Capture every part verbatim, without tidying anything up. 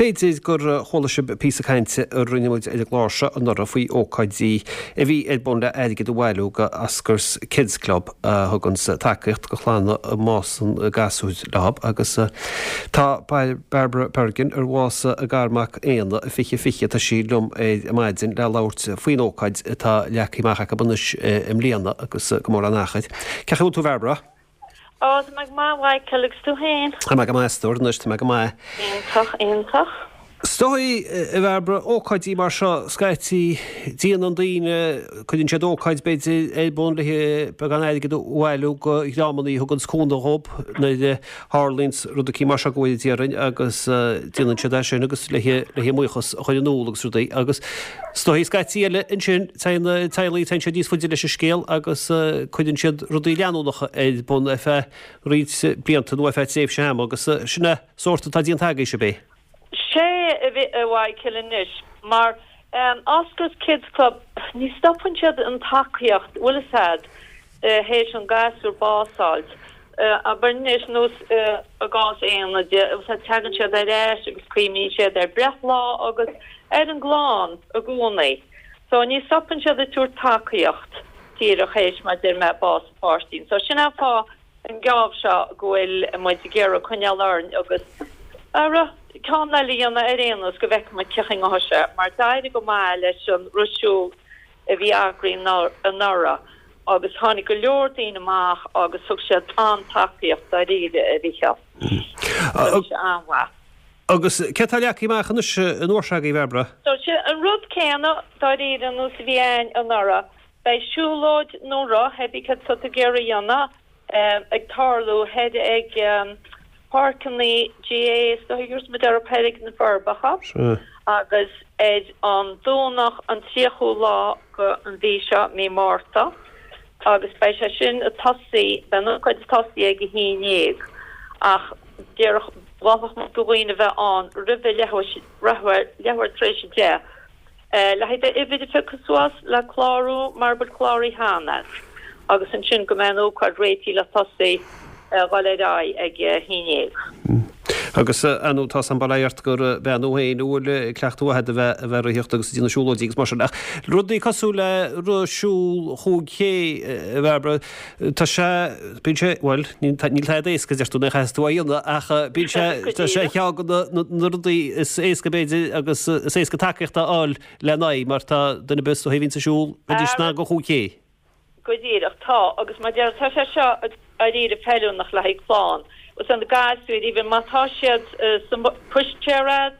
B'fhéidir gur chuala sibh píosa cainte a rinne muid ar an gclár seo anuraidh faoi ócáidí a bhí ar bun le airgead a bhailiú go Oscar's Kids Club a thuganns tacaíocht go chlanna a mbásann gasúir leo agus tá Barbara Bergin ar bhásaigh a garmhac Éanna i fiche fiche tá sí liom ar maidin le labhairt faoin ócáid atá leagtha amach acu anois i mbliana agus go mór an achar. Cén chaoi a bhfuil tú Barbara? Ó, tá mé go maith, Michael, agus tú féin? Tá mé go maith, a stór, anois tá mé go maith. Iontach, iontach. Is dóigh, a Bhairbre, ócáidí mar seo, scaití, déanann daoine, cuireann siad ócáid, b'fhéidir, ar bun le beagán airgid a bhailiú go dhreamanna a thuganns cúnamh dhób nuair a tharlaíonns rud eicínt mar seo go bhfóire Dia orainn agus déanann siad é sin agus le le mbuíochas a chur in iúl agus rudaí agus is dóigh scaití eile ansin téann na teaghlaigh, téann siad níos faide leis an scéal agus cuireann siad rudaí leanúnacha ar bun ar feadh roinnt blianta nó ar feadh tréimhse ama agus sin é sórt atá déanta agaibhse, ab é? Sea, a Mhichael, anois, mar Oscar's Kids Club, ní stopann siad an tacaíocht, bhfuil fhios a'd, théis an gasúr bás fháilt. Abair anois, nós i gcás Éanna de, bhfuil fhios a'd, tagann siad ar ais agus cuimhníonn siad ar breithlá agus ar an gclann i gcónaí. So ní stopann siad ag tabhairt tacaíocht díreach théis, mar a deir mé, bás an pháistín. So sin an fáth an geábh seo go bhfuil muid ag iarraidh coinneáil orainn agus ara ceann eile a dhéanamh ar aon nós go bhfeicfidh muid cén chaoi a ngabhfaidh sé mar d'éirigh go maith leis an rith siúil a bhí eagraithe anuraidh agus tháinig go leor daoine amach agus thug siad an-tacaíocht dáiríre a Mhichíl. Bhí sé an-mhaith. Agus céard atá leagtha amach anois an uair seo agaibh, a Bhairbre? So sin an rud céanna dáiríre ar nós a bhí a'inn anuraidh. Beidh siúlóid nó roth, hé bí céard atá tú ag iarraidh a dhéanamh, ag tarlú thoir ag páirceanna GAA is dóigh is muid ar thoir ag na Forbacha agus ar an Domhnach an tríochú lá go an mhí seo, mí Márta, agus beidh sé sin ag tosaí, beidh an ócáid ag tosaí ag a haon dhéag ach déarfadh, mholfadh muid do dhaoine bheith ann roimhe leathuair, leathuair tar éis a deich. Le haghaidh d'uimhir a phiocadh suas le clárú mara bhfuil cláraithe cheana agus ansin go mbeidh an ócáid réitithe le tosaí a dhul ar aghaidh ag a haon dhéag. Agus ar ndóigh tá a fhios a'm bail ó Dhia ort gur bean thú féin a bhfuil cleachtadh mhaith agat a bheith a bheith ag ritheacht agus ag déanamh siúlóidí agus mar sin. Ach rudaí cosúil le rith siúl chúig K, a Bhairbre, tá sé, bíonn sé, bhuel, níl tada éasca deir tú, ní chaithfidh tú a dhéanamh ach bíonn sé, tá sé ar cheann de na rudaí is éasca b'fhéidir agus is éasca tacaíocht a fháil lena aghaidh mar tá duine ar bith is dóigh a bhíonns ag siúl, bheidís in ann go chúig K. Go díreach, tá, agus mar a deir, tá sé seo dáiríre feiliúnach le haghaidh clann. Is na gasúir, even má tá siad sa pushchair a'd,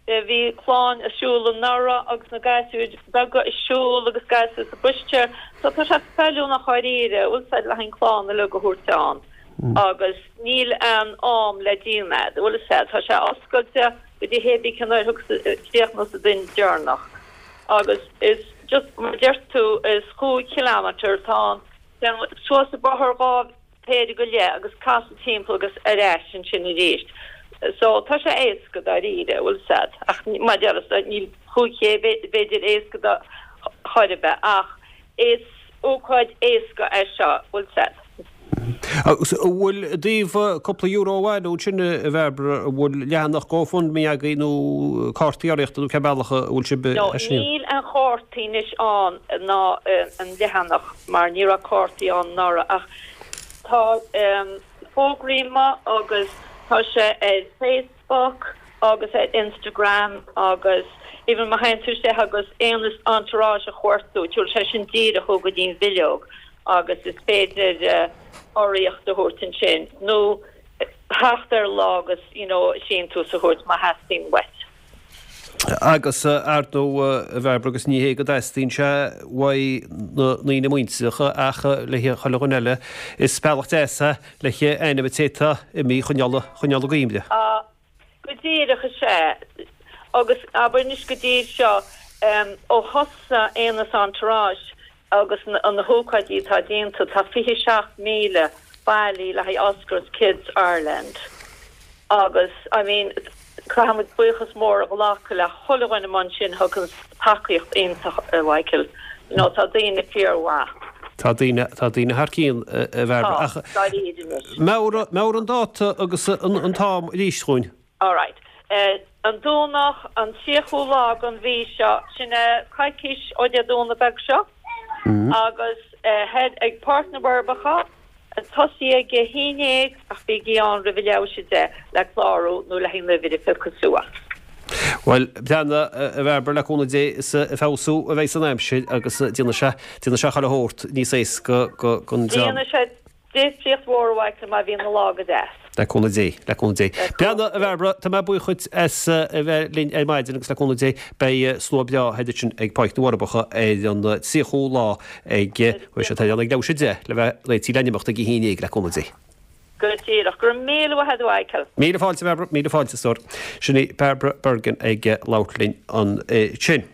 Bhí clann ag siúl anuraidh agus na gasúir beaga ag siúl agus gasúir sa pushchair so tá sé feiliúnach dháiríre, bhfuil 'fhios a'd, le haghaidh an clann uilig a thabhairt ann agus níl aon am le déanamh a'd, bhfuil 'fhios a'd, tá sé oscailte go dtí hé bí cén uair a chríochnós an duine deireanach agus is just mar a deir tú is chúig kilometre atá ann, téann suas an bóthar dhá péire go leith agus casadh timpeall agus ar ais ansin arís. So tá sé éasca dáiríre, bhfuil 'fhios a'd, ach mar a déarfá níl chúig K b'fhéidir éasca do chor ar bith ach is ócáid éasca é seo, bhfuil 'fhios a'd. Agus an bhfuil i dtaobh cúpla euro a bhailiú ansin a Bhairbre, an bhfuil leathanach GoFundMe agaibh nó cártaí urraíochta nó cén bealach a bhfuil sibh No, é sin? níl aon chártaí anois ann ná an leathanach mar ní raibh cártaí ann anuraidh ach Tá fógraí amuigh agus tá sé ar Facebook agus ar Instagram agus even má théann tú isteach agus Éanna's Entourage a chuartú, tabharfaidh sé sin díreach thú go dtí an bhileog agus is féidir urraíocht a thabhairt ansin nó theacht ar lá agus you know síntiús a thabhairt má theastaíonn uait. Agus, ar ndóigh, a Bhairbre, agus ní hé go dteastaíonn sé uaidh na ndaoine muinteartha ach le chuile dhuine eile, is bealach deas é le hainm an té atá imithe a choinneáil, choinneáil i gcuimhne. Á, go díreach, is ea. Agus abair anois go dtí seo, ó thosaigh Éanna's Entourage Agus na hócáidí atá déanta, tá fiche seacht míle bailithe le haghaidh Oscar's Kids Ireland agus I mean caithfidh muid buíochas mór a ghlacadh le chuile dhuine amuigh ansin a thugann tacaíocht iontach a Mhichael. You know tá daoine fíormhaith. Tá daoine, tá daoine thar cionn a Bhairbre. Tá, dáiríre anois. Meabhraigh, meabhraigh an dáta agus an t-am arís dhúinn. Alright. An Domhnach an tríochú lá den mhí seo, sin é coicís ó Dé Domhnaigh beag seo, agus thoir ag Páirc na bhForbacha, ag tosaí ag a haon déag ach bígí ann roimh a leathuair théis a deich le clárú nó le haghaidh an uimhir a phiocadh suas. Bhuel, breathnaigh, a Bhairbre, le cúnamh Dé is ag feabhsú a bheidh an aimsir agus déanfaidh sé, déanfaidh sé chuile shórt níos éasca don dream. Déanfaidh sé difríocht mhór a Mhichael má bhíonn an lá go deas. Le cúnamh Dé, le cúnamh Dé. Breathnaigh, a Bhairbre, tá mé buíoch dhuit as a bheith linn ar maidin agus le cúnamh Dé beidh slua breá thoir ansin ag Páirc na bhForbacha ar an tríochú lá ag, bhuel, sé tá ag leathuair théis a deich le bheith réitithe le n-imeacht ag a haon déag le cúnamh Dé. Go díreach. Go raibh míle maith agat a Mhichael. Míle fáilte, a Bhairbre, míle fáilte, a stór. Sin í Barbara Bergin ag labhairt linn ansin.